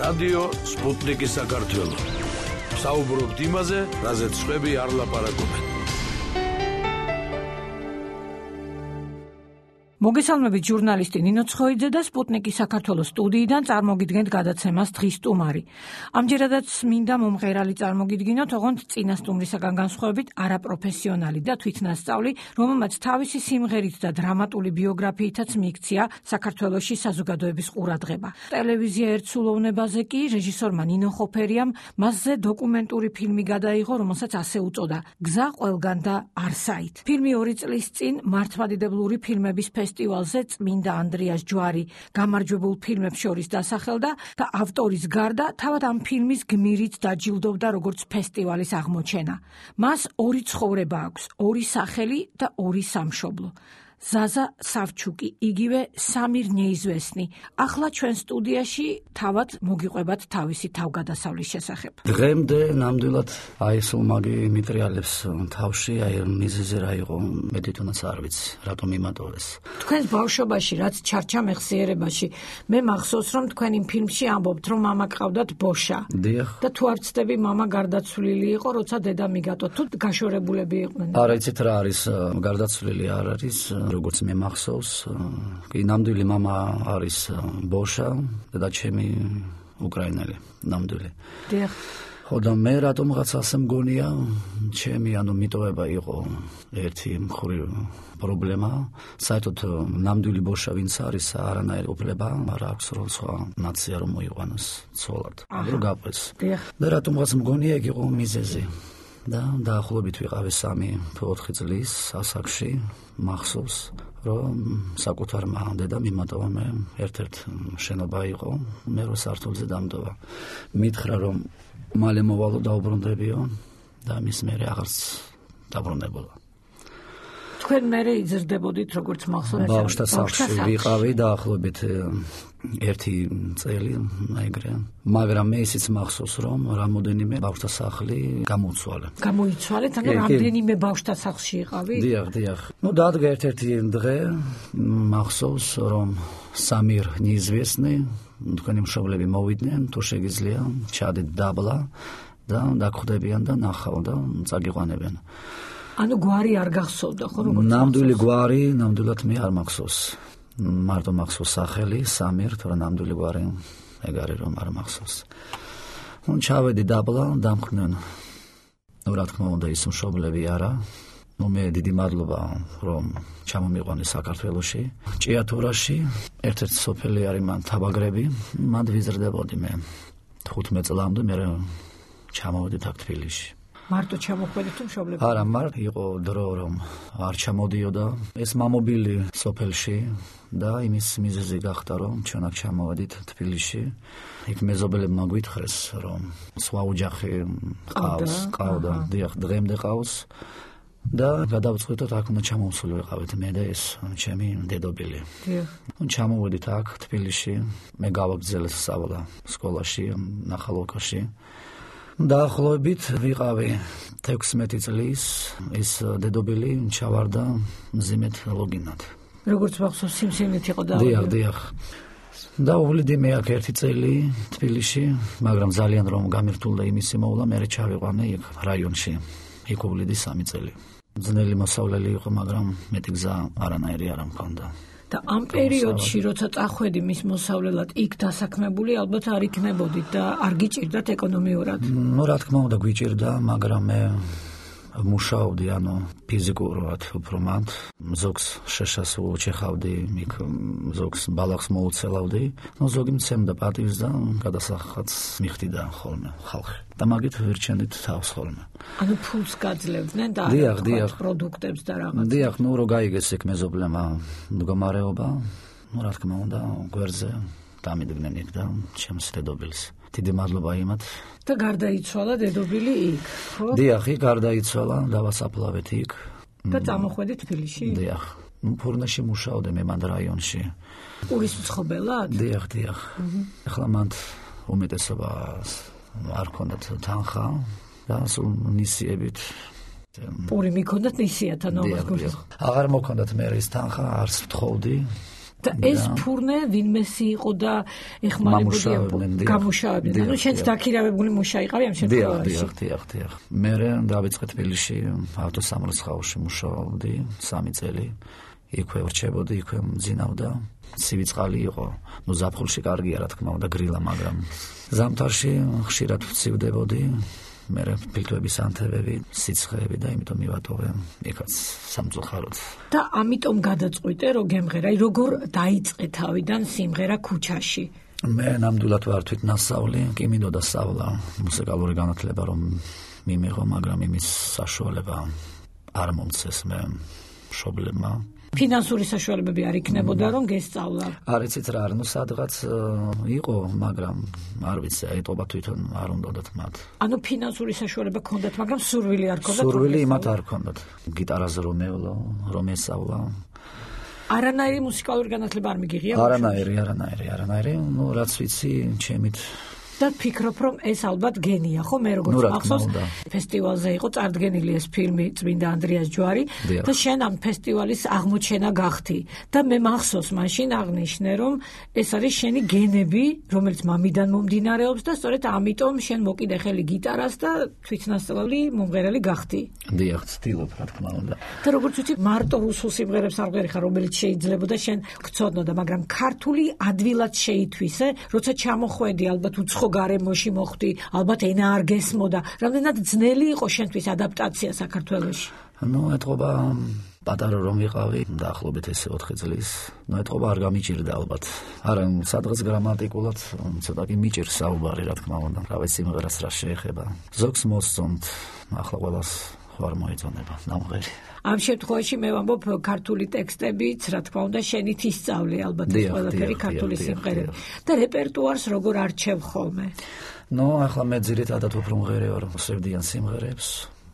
რადიო სპუტნიკი საქართველო. საუბრობთ იმაზე, რაზეც სხვები არ ლაპარაკობენ. მოგესალმებით ჟურნალისტი ნინო ცხოიძე და სპუტნიკის საქართველოს სტუდიიდან წარმოგიდგენთ გადაცემას დღის სტუმარი. ამჯერადაც მინდა მომღერალი წარმოგიდგინოთ, ოღონდ წინა სტუმრისაგან განსხვავებით არაპროფესიონალი და თვითნასწავლი, რომელმაც თავისი სიმღერით და დრამატული ბიოგრაფიითაც მიიქცია საქართველოში საზოგადოების ყურადღება. ტელევიზია ერთსულოვნებაზე კი რეჟისორმა ნინო ხოფერიამ მასზე დოკუმენტური ფილმი გადაიღო, რომელსაც ასე უწოდა გზა ყველგან და არსაით. ფილმი 2 წლის წინ მართლმადიდებლური ფილმების ფესტივალზე წმინდა ანდრიას ჯვარი გამარჯვებულ ფილმებს შორის დასახელდა და ავტორის გარდა თავად ამ ფილმის გმირით დაჯილდოვდა როგორც ფესტივალის აღმოჩენა. მას 2 ცხოვრება აქვს, 2 სახელი და 2 სამშობლო. ზაზა სავჩუკი, იგივე სამირ ნეიზვესნი. ახლა ჩვენ სტუდიაში თავად მოგიყვებათ თავისი თავგადასავლის შესახებ. დღემდე ნამდვილად აი სულ მაგი მიტრიალებს თავში, აი მიზეზი რა იყო, მე თვითონაც არ ვიცი, რატომ იმატოვეს. თქვენს ბავშვობაში, რაც ჩარჩა მეხსიერებაში, მე მახსოვს, რომ თქვენ იმ ფილმში ამბობთ, რომ მამა გყავდათ ბოშა. დიახ. და თუ არ ვცდები, მამა გარდაცვლილი იყო, როცა დედა მიგატო, თუ გაშორებულები იყვნენ. არა, იცით რა არის, გარდაცვლილი არ არის. როგორც მე მახსოვს, კი ნამდვილი მამა არის ბოშა და ჩემი უკრაინელი ნამდვილი. დიახ. ხო და მე რატომღაც ასე მგონია, ჩემი მიტოვება იყო ერთი მხრივ პრობლემა. საერთოდ ნამდვილი ბოშა ვინც არის, არანაირი უფლება არ აქვს რომ სხვა ნაცია რომ მოიყვანოს ცოლად. რომ გაყვეს. და რატომღაც მგონია იქ იყო მიზეზი. და დაახლოებით ვიყავი 3-4 წლის ასაკში, მახსოვს, რომ საკუთარმა დედამ იმატოვა მე ერთ-ერთ შენობა იყო, მე რო სართულზე დამდოვა. მითხრა რომ მალე მოვალო დაუბრუნდებიო და მის მერე აღარც დაბრუნებულა. თქვენ მერე იზრდებოდით როგორც მახსოვს? ბავშვთა სახლში ვიყავი დაახლოებით 1 წელი, ეგრე. მაგრამ მე ისიც მახსოვს, რომ რამოდენიმე ბავშვთა სახლი გამოიცვალა. გამოიცვალეთ, ანუ რამდენიმე ბავშვთა სახლში იყავით? დიახ. დადგა ერთ-ერთი დღე, მახსოვს, რომ სამირ ნეიზვესნი, თქვენი მშობლები მოვიდნენ, თუ შეგიძლია, ჩადეთ დაბლა და დაგხვდებიან და ნახავ და წაგიყვანებენ. ანუ გვარი არ გახსოვდა, ხო როგორც? ნამდვილი გვარი, ნამდვილად მე არ მახსოვს. მარტო მახსოვს სახელი, სამირ, თორე ნამდვილი გვარი ეგ არის რომ არ მახსოვს. ჩავედი დაბლა, დამხდნენ. რა თქმა უნდა ის მშობლები არა. მე დიდი მადლობა რომ ჩამომიყვანე საქართველოში. ჭიათურაში ერთ-ერთი სოფელი არის მან თაბაგრები, მანდ ვიზრდებოდი მე 15 წლამდე, მე ჩამოვედი აქ თბილისში. მარტო ჩამოხვედით თუ მშობლები? არა, იყო დრო რომ არ ჩამოდიოდა ეს მამობილი სოფელში და იმის მიზეზი გახდა რომ ჩვენ აქ ჩამოვედით თბილისში. იქ მეზობელებმა გვითხრეს რომ სხვა ოჯახი ყავდა, დიახ, დღემდე ყავს და გადავწყვიტოთ აქ უნდა ჩამოვსულიყავით მე და ეს ჩემი დედობილი. დიახ. ჩამოვედით აქ თბილისში, მე გავაგრძელე სწავლა სკოლაში, ნახალოვკაში. დაახლოებით ვიყავი 16 წლის, ის დედობილი ჩავარდა მძიმედ ლოგინად. როგორც მახსოვს, სიმსივნით იყო და დიახ. და ვლიდი მე აქ 1 წელი თბილისში, მაგრამ ძალიან რომ გამირთულდა იმისი მოვლა, მე ჩავიყვანე იქ რაიონში. იქ ვლიდი 3 წელი. ძნელი მოსავლელი იყო, მაგრამ მეტი გზა არანაირი არ მქონდა. და ამ პერიოდში, როცა წახვედი მის მოსავლელად, იქ დასაქმებული ალბათ არ იქნებოდით და არ გიჭირდათ ეკონომიურად? რა თქმა უნდა გვიჭირდა, მაგრამ მე მუშაობდი, ფიზიკურად უფრო მანდ, ზოგს შეშას უჩეხავდი, იქ ზოგს ბალახს მოუცელავდი, ზოგი მცემდა პატივს და გადასახადს მიხდიდა ხოლმე ხალხი. და მაგით ვირჩენდით თავს ხოლმე. ანუ ფულს გაძლევდნენ და პროდუქტებს და რაღაც. დიახ, რო გაიგეს იქ მეზობლებმა მდგომარეობა, რა თქმა უნდა, გვერდზე დამიდგნენ იქ და ჩემს დედობილს. დიდი მადლობა იმათ. და გარდაიცვალა დედობილი იქ, ხო? დიახ, იქ გარდაიცვალა, დავასაფლავეთ იქ. და წამოხვედი თბილისში? დიახ. ფურნაში მუშაობდი მე მანდ რაიონში. პურის მცხოვრებლად? დიახ. ახლა მანდ უმეტესობა არ ქონდათ თანხა და სულ ნისიებით პური მიქონდათ ნისიათან აღარ მოქონდათ მე ის თანხა, არც ვთხოვდი და ეს ფურნე ვინმესი იყო და ეხმარებოდია გამუშავებდნენ. ნუ შენც დაქირავებული მუშა იყავი ამ შემთხვევაში. დიახ. მე დავიწყე თბილისში ავტოსამრეცხაოში მუშაობდი 3 წელი. იქვე ვრჩებოდი, იქვე მძინავდა. ცივი წყალი იყო. ნუ ზაფხულში კარგია რა თქმა უნდა გრილა, მაგრამ ზამთარში ხშირად ვცივდებოდი. მე ფილტვების ანთებები, სიცხეები და იმიტომ მივატოვე იქაც სამწუხაროდ. და ამიტომ გადაწყვიტე რომ გემღერა, როგორ დაიწყე თავიდან სიმღერა ქუჩაში? მე ნამდვილად ვარ თვითნასწავლი, კი მინდოდა სწავლა, მუსიკალური განათლება რომ მიმიღო, მაგრამ იმის საშუალება არ მომცეს მე მშობლებმა. ფინანსური საშუალებები არ იქნებოდა რომ გესწავლა? არ იცით რა, ნუ სადღაც იყო, მაგრამ არ ვიცი, აიტყობა თვითონ არ უნდათ მათ. ანუ ფინანსური საშუალება ჰქონდათ, მაგრამ სურვილი არ ჰქონდათ? სურვილი იმათ არ ჰქონდათ. გიტარაზე რომ მევლო, რომ ესწავლა. არანაირი მუსიკალური განათლება არ მიგიღია? არანაირი. ნუ რაც ვიცი, ჩემით და ფიქრობ რომ ეს ალბათ გენია, ხო? მე როგორც მახსოვს, ფესტივალზე იყო წარდგენილი ეს ფილმი წმინდა ანდრიას ჯვარი და შენ ამ ფესტივალის აღმოჩენა გახდი და მე მახსოვს მაშინ აღნიშნე რომ ეს არის შენი გენები, რომელიც მამიდან მომდინარეობს და სწორედ ამიტომ შენ მოკიდე ხელი გიტარას და თვითნასწავლი მომღერალი გახდი. დიახ, ცდილობ რა თქმა უნდა. და როგორც ვიცი, მარტო რუსულ სიმღერებს არ ვღერი ხარ, რომელიც შეიძლებოდა შენ გწოდნოდა, მაგრამ ქართული ადვილად შეითვისე, როცა ჩამოხვედი ალბათ უცხო გარემოში მოხვდი, ალბათ ენა არ გესმოდა. რამდენად ძნელი იყო შენთვის ადაპტაცია საქართველოში? ნუ ეთყობა პატარა რომ ვიყავი, დაახლოებით ესე 4 წლის. ნუ ეთყობა არ გამიჭირდა ალბათ. არა, სადღაც გრამატიკულად ცოტა კი მიჭირს საუბარი, რა თქმა უნდა. რავი სიმღერას რა შეეხება. ზოგს მოსწონთ, ახლა ყველას ხوار მოიწონება ნამღერი. ამ შემთხვევაში მე ვამბობ ქართული ტექსტებიც, რა თქმა უნდა, შენით ისწავლე ალბათ ეს ყველაფერი ქართული სიმღერები. და რეპერტუარს როგორ არჩევ ხოლმე? ნუ ახლა მე ძირითადად უფრო მღერი ვარ, სევდიან სიმღერებს.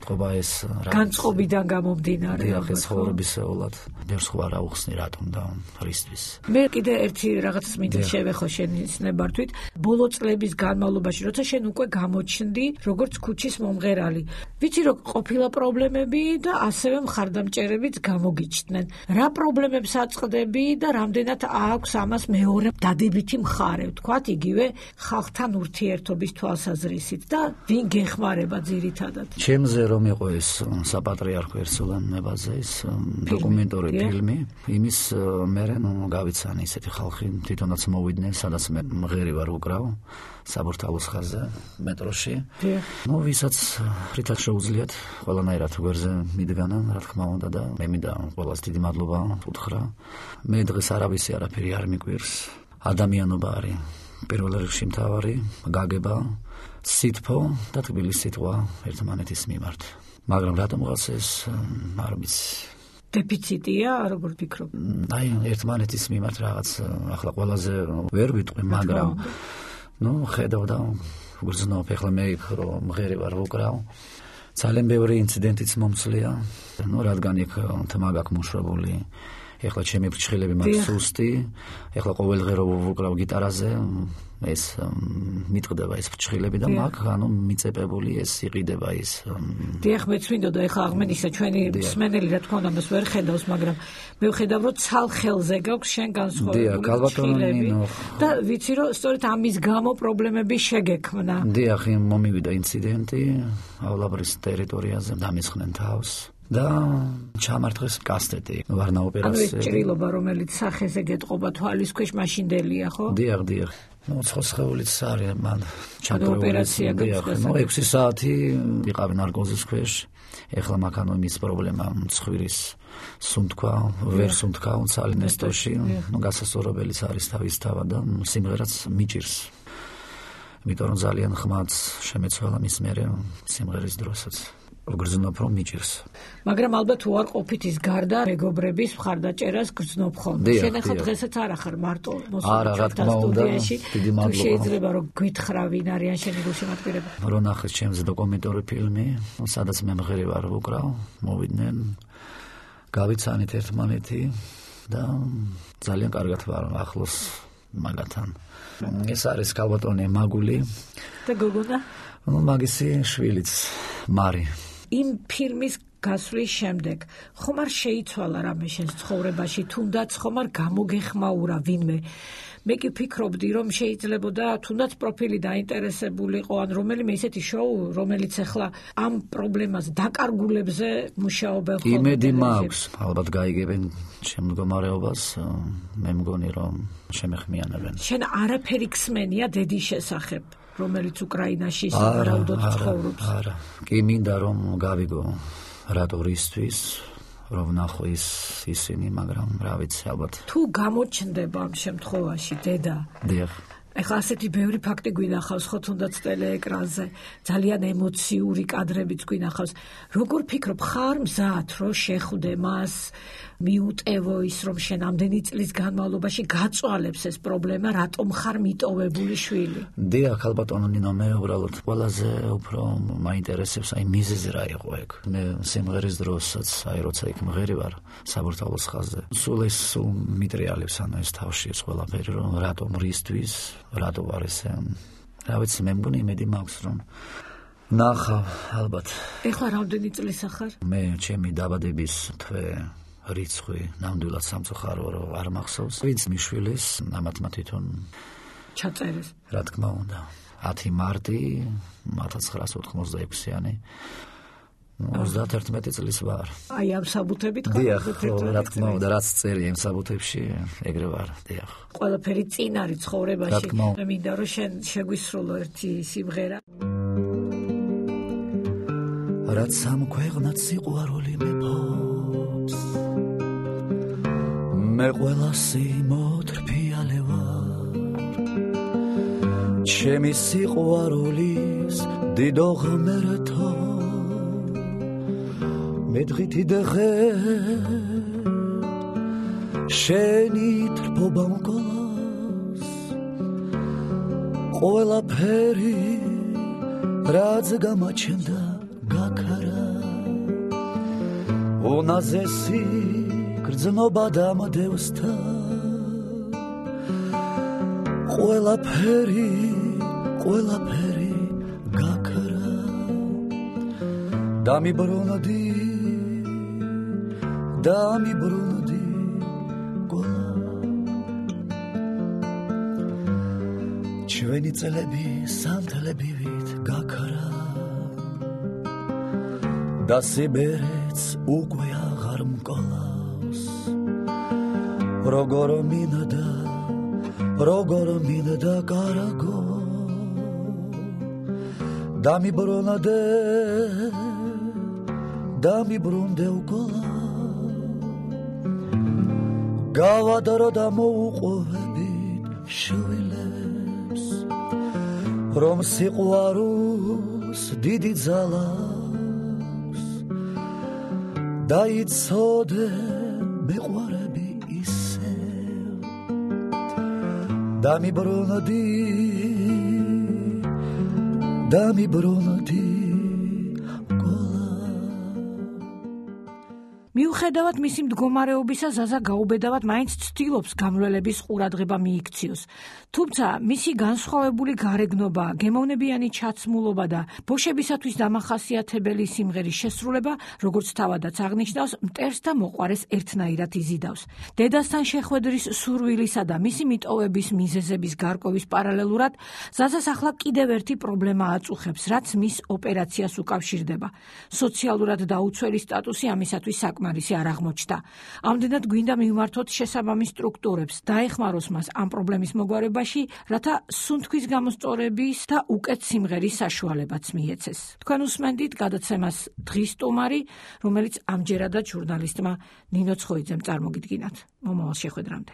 თქობა ეს განწყობიდან გამომდინარე. დიახ, ეს ცხოვრებისეულად. ბევრს ხوار აუხსნი რატომ და რისთვის. მე კიდე ერთი რაღაც მინდა შევეხო შენის ნებართვით. ბოლო წლების განმავლობაში, როცა შენ უკვე გამოჩნდი როგორც ქუჩის მომღერალი, ვიცი რომ ყოფილა პრობლემები და ასევე მხარდამჭერებიც გამოგიჩნდნენ. რა პრობლემებს აწყდები და რამდენად აქვს ამას მეორე დადებითი მხარე, ვთქვათ, იგივე ხალხთან ურთიერთობის თვალსაზრისით და ვინ გეხმარება ძირითადად? ჩემზე რომ იყო ეს საპატრიარქო ერთსულანებაზე ეს დოკუმენტური ფილმი, იმის მერე გავიცანი ისეთი ხალხი თვითონაც მოვიდნენ, სადაც მე მღერი ვარ უკრავ საბურთალოს ხაზზე მეტროში. ნუ ვისაც რითაც შეუძლიათ ყველანაირად გვერდზე მიდგანა, რა თქმა უნდა და მე მინდა ყველას დიდი მადლობა უთხრა. მე დღეს არავისი არაფერი არ მიკვირს. ადამიანობა არის პირველ რიგში მთავარი, გაგება, სითფო და თბილი სიტყვა ერთმანეთის მიმართ. მაგრამ რატომღაც ეს არ ვიცი. დეფიციტია, როგორ ფიქრობ? აი, ერთმანეთის მიმართ რაღაც ახლა ყველაზე ვერ ვიტყვი, მაგრამ ნუ ხედავ და ვგრძნობ, ახლა მე იქ რომ მღერი ვარ ვუკრავ. ძალიან ბევრი ინციდენტიც მომწლია. ნუ რადგან იქ თმა გაქვს მოშრებული. ეხლა ჩემი ფრჩხილები მაქვს სუსტი, ეხლა ყოველდღე რომ ვუკრავ გიტარაზე, ეს მიტყდება ეს ფრჩხილები და მაგ ანუ მიწეპებული ეს იყიდება ის. დიახ, მეც მინდოდა ეხლა აღმენისა ჩვენი მსმენელი რა თქმა უნდა მას ვერ ხედავს, მაგრამ მე ვხედავ რომ ცალ ხელზე გაქვს შენ განსხვავებული ფრჩხილები და ვიცი რომ სწორედ ამის გამო პრობლემები შეგექმნა. დიახ, მომივიდა ინციდენტიავლაბრის ტერიტორიაზე, დამისხნენ თავს. და ჩამართეს კასტეტი ვარნა ოპერაცია. ანუ ჭრილობა რომელიც სახეზე გეტყობა თვალის ქვეშ მაშინდელია, ხო? დიახ. ნუ ცხოცხეულიც არის მან ჩამრთული ოპერაცია გახდა. ნუ 6 საათი ვიყავი ნარკოზის ქვეშ. ეხლა მაქანო იმის პრობლემა მცხვირის სუნთქვა, ვერ სუნთქა ცალინესტოში. ნუ გასასწორებელიც არის თავის თავა და სიმღერაც მიჭირს. იმიტომ რომ ძალიან ხმაც შემეცვალა მის მერე სიმღერის დროსაც. გრძნობ რომ მიჭირს. მაგრამ ალბათ უარყოფით ის გარდა მეგობრების მხარდაჭერას გრძნობ ხოლმე. შენ ახლა დღესაც არ ახარ მარტო მოსულთა სტუდიაში. დიდი მადლობა. შეიძლება რომ გითხრა ვინ არიან შენი გულშემატკივრები. რო ნახეს ჩემზე დოკუმენტური ფილმი, სადაც მე მღერი ვარ ვუკრავ, მოვიდნენ. გავიცანით ერთმანეთი და ძალიან კარგად ვარ ახლოს მაგათან. ეს არის ქალბატონი მაგული და გოგონა? მაგისი შვილიც მარი. იმ ფილმის გასვლის შემდეგ ხომ არ შეიცვალა რამე შენს ცხოვრებაში, თუნდაც ხომ არ გამოგეხმაურა ვინმე? მე კი ვფიქრობდი, რომ შეიძლებოდა თუნდაც პროფილი დაინტერესებულიყო, ან რომელიმე ისეთი შოუ, რომელიც ახლა ამ პრობლემას დაკარგულებზე მუშაობენ ხოლმე. იმედი მაქვს, ალბათ გაიგებენ ჩემ მდგომარეობას, მე მგონი რომ შემეხმიანებენ. შენ არაფერი ხსმენია დედის შესახებ, რომელიც უკრაინაში სავარაუდოდ ცხოვრობს? არა, კი მინდა რომ გავიგო რატო რისთვის რომ ნახო ისინი, მაგრამ რა ვიცი, ალბათ თუ გამოჩნდება ამ შემთხვევაში დედა. დიახ. ეხლა ასეთი ბევრი ფაქტი გვინახავს ხო თუნდაც ტელეეკრანზე, ძალიან ემოციური კადრებიც გვინახავს. როგორ ფიქრობ, ხარ მზად რომ შეხვდე მას, მიუტევო ის რომ შენ ამდენი წლის განმავლობაში გაწვალებს ეს პრობლემა, რატომ ხარ მიტოვებული შვილი? დიახ, ალბათონო ნინო, მე უბრალოდ ყველაზე უფრო მაინტერესებს აი მიზეზი რა იყო ეგ. მე სიმღერის დროსაც, აი როცა იქ მღერი ვარ საბურთალოს ხაზზე, სულ მიტრიალებს ანუ ეს თავში ეს ყველაფერი, რომ რატომ რისთვის რატო ვარ ესე? რა ვიცი, მე მგონი იმედი მაქვს რომ ნახავ ალბათ. ეხლა რამდენი წლისა ხარ? მე ჩემი დაბადების თვე რიცხვი ნამდვილად სამწუხარო რომ არ მახსოვს. ვინც მიშვილის ამათმა თვითონ ჩაწერეს. რა თქმა უნდა 10 მარტი 1986-იანი 31 წლის ვარ. აი ამ საბუთებით ხარ? დიახ, რა თქმა უნდა, რაც წერია იმ საბუთებში, ეგრე ვარ, დიახ. ყველაფერი წინ არის ცხოვრებაში. მე მინდა რომ შენ შეგვისრულო ერთი სიმღერა. რაც ამ ქვეყნად სიყვარული მეფობს, მე ყველასი მოტრფიალე ვარ, ჩემი სიყვარულის დიდო ღმერთო, მე დღითი დღე შენი თრფობა მკოლავს, ყველაფერი რაც გამაჩნდა გაქარა, უნაზესი გრძნობა დამდევსთა, ყველაფერი გაქარა, დამიბრუნდი გოლა, ჩვენი წლები სანთლებივით გაქარა და სიბერეც უკვე აღარ მკოლავს, როგორ მინდა კარგო, დამიბრუნდე გოლა, გავადრო და მოუყვებით შვილებს, რომ სიყვარულს დიდი ძალა დაიცოდე მეყვარები ისევ, დამიბრუნდი მიუხედავად მისი მდგომარეობისა, ზაზა გაუბედავად მაინც ცდილობს გამრველების ყურადღება მიიქციოს. თუმცა მისი განსხვავებული გარეგნობა, გემოვნებიანი ჩაცმულობა და ბოშებისათვის დამახასიათებელი სიმღერის შესრულება, როგორც თავადაც აღნიშნავს, მტერს და მოყვარეს ერთნაირად იზიდავს. დედასთან შეხვედრის სურვილისა და მისი მიტოვების მიზეზების გარკვევის პარალელურად, ზაზას ახლა კიდევ ერთი პრობლემა აწუხებს, რაც მის ოპერაციას უკავშირდება. სოციალურად დაუცველი სტატუსი ამისათვის საკმარისი არ აღმოჩნდა. ამდენად გვინდა მივმართოთ შესაბამის სტრუქტურებს, დაეხმაროს მას ამ პრობლემის მოგვარებაში, რათა სუნთქვის გამოსწორების და უკეთ სიმღერის საშუალებაც მიეცეს. თქვენ უსმენდით გადაცემას დღის სტუმარი, რომელიც ამჯერადაც ჟურნალისტმა ნინო ცხოიძემ წარმოგიდგინათ. მომავალ შეხვედრამდე.